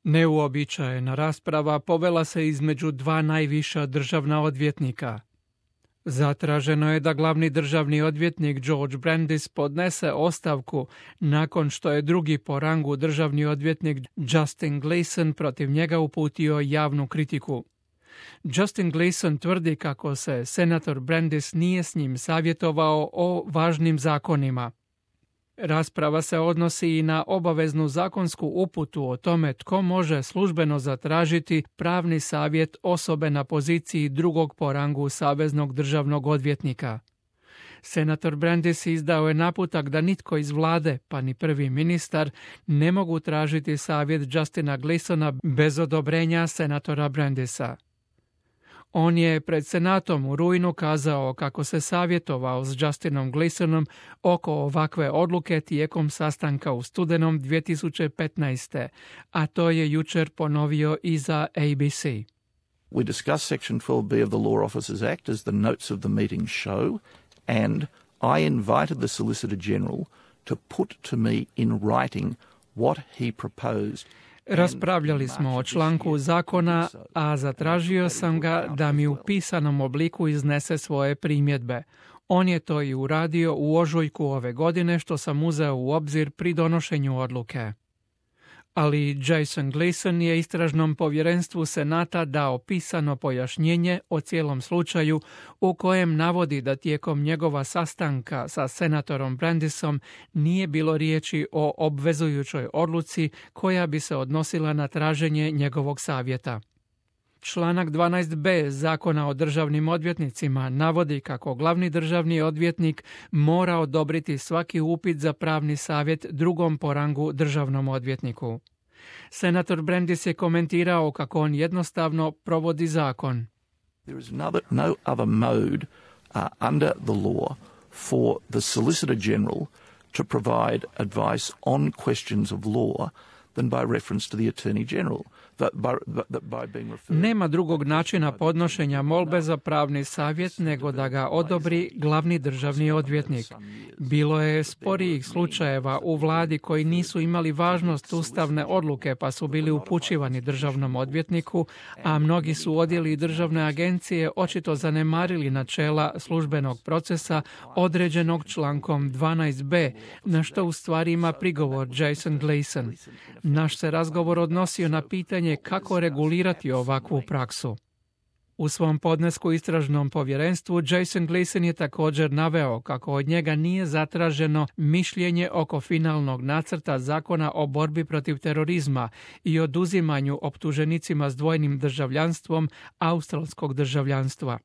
Neuobičajena rasprava povela se između dva najviša državna odvjetnika. Zatraženo je da glavni državni odvjetnik George Brandis podnese ostavku nakon što je drugi po rangu državni odvjetnik Justin Gleason protiv njega uputio javnu kritiku. Justin Gleason tvrdi kako se senator Brandis nije s njim savjetovao o važnim zakonima. Rasprava se odnosi i na obaveznu zakonsku uputu o tome tko može službeno zatražiti pravni savjet osobe na poziciji drugog po rangu saveznog državnog odvjetnika. Senator Brandis izdao je naputak da nitko iz vlade, pa ni prvi ministar, ne mogu tražiti savjet Justina Gleasona bez odobrenja senatora Brandisa. On je pred senatom u rujnu kazao kako se savjetovao s Justinom Gleasonom oko ovakve odluke tijekom sastanka u studenom 2015. A to je jučer ponovio i za ABC. We discussed Section 12B of the Law Officers Act as the notes of the meeting show, and I invited the Solicitor General to put to me in writing what he proposed. Raspravljali smo o članku zakona, a zatražio sam ga da mi u pisanom obliku iznese svoje primjedbe. On je to i uradio u ožujku ove godine, što sam uzeo u obzir pri donošenju odluke. Ali Jason Gleason je istražnom povjerenstvu Senata dao pisano pojašnjenje o cijelom slučaju u kojem navodi da tijekom njegova sastanka sa senatorom Brandisom nije bilo riječi o obvezujućoj odluci koja bi se odnosila na traženje njegovog savjeta. Članak 12b Zakona o državnim odvjetnicima navodi kako glavni državni odvjetnik mora odobriti svaki upit za pravni savjet drugom po rangu državnom odvjetniku. Senator Brandis je komentirao kako on jednostavno provodi zakon. There is no other mode under the law for the Solicitor General to provide advice on questions of law than by reference to the Attorney General. Nema drugog načina podnošenja molbe za pravni savjet nego da ga odobri glavni državni odvjetnik. Bilo je sporijih slučajeva u vladi koji nisu imali važnost ustavne odluke pa su bili upućivani državnom odvjetniku, a mnogi su odjeli državne agencije očito zanemarili načela službenog procesa određenog člankom 12b, na što u stvari ima prigovor Jason Gleason. Naš se razgovor odnosio na pitanje kako regulirati ovakvu praksu. U svom podnesku istražnom povjerenstvu Jason Gleason je također naveo kako od njega nije zatraženo mišljenje oko finalnog nacrta zakona o borbi protiv terorizma i oduzimanju optuženicima s dvojnim državljanstvom australskog državljanstva.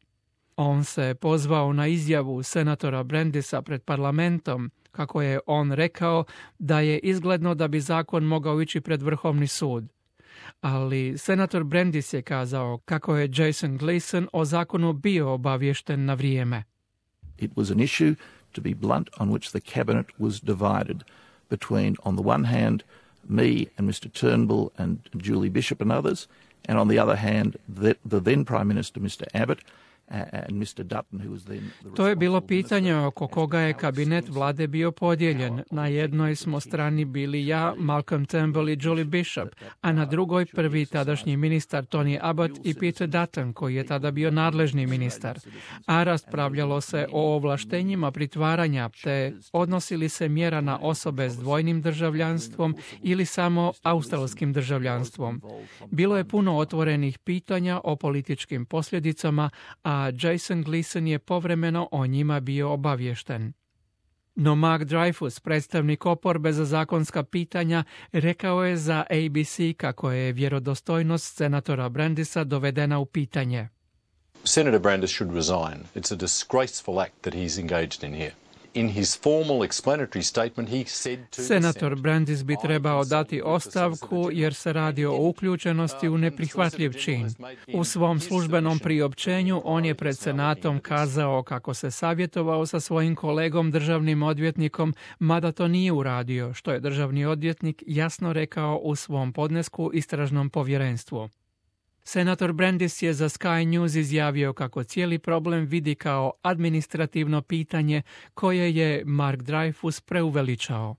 On se pozvao na izjavu senatora Brandisa pred parlamentom, kako je on rekao da je izgledno da bi zakon mogao ići pred Vrhovni sud. Ali senator Brandis je kazao kako je Jason Gleason o zakonu bio obaviješten na vrijeme. It was an issue, to be blunt, on which the cabinet was divided between, on the one hand, me and Mr. Turnbull and Julie Bishop and others, and on the other hand, the then Prime Minister, Mr. Abbott, and Mr. Dutton, who was then the To je bilo pitanje oko koga je kabinet vlade bio podijeljen. Na jednoj smo strani bili ja, Malcolm Turnbull i Julie Bishop, a na drugoj prvi tadašnji ministar Tony Abbott i Peter Dutton, koji je tada bio nadležni ministar. A raspravljalo se o ovlaštenjima pritvaranja, te odnosili se mjera na osobe s dvojnim državljanstvom ili samo australskim državljanstvom. Bilo je puno otvorenih pitanja o političkim posljedicama, a Jason Gleason je povremeno o njima bio obaviješten. No Mark Dreyfus, predstavnik oporbe za zakonska pitanja, rekao je za ABC kako je vjerodostojnost senatora Brandisa dovedena u pitanje. Senator Brandis should resign. It's a disgraceful act that he's engaged in here. In his formal explanatory statement, he said to Senator Brandis bi trebao dati ostavku jer se radi o uključenosti u neprihvatljiv čin. U svom službenom priopćenju on je pred Senatom kazao kako se savjetovao sa svojim kolegom državnim odvjetnikom, mada to nije uradio, što je državni odvjetnik jasno rekao u svom podnesku istražnom povjerenstvu. Senator Brandis je za Sky News izjavio kako cijeli problem vidi kao administrativno pitanje koje je Mark Dreyfus preuveličao.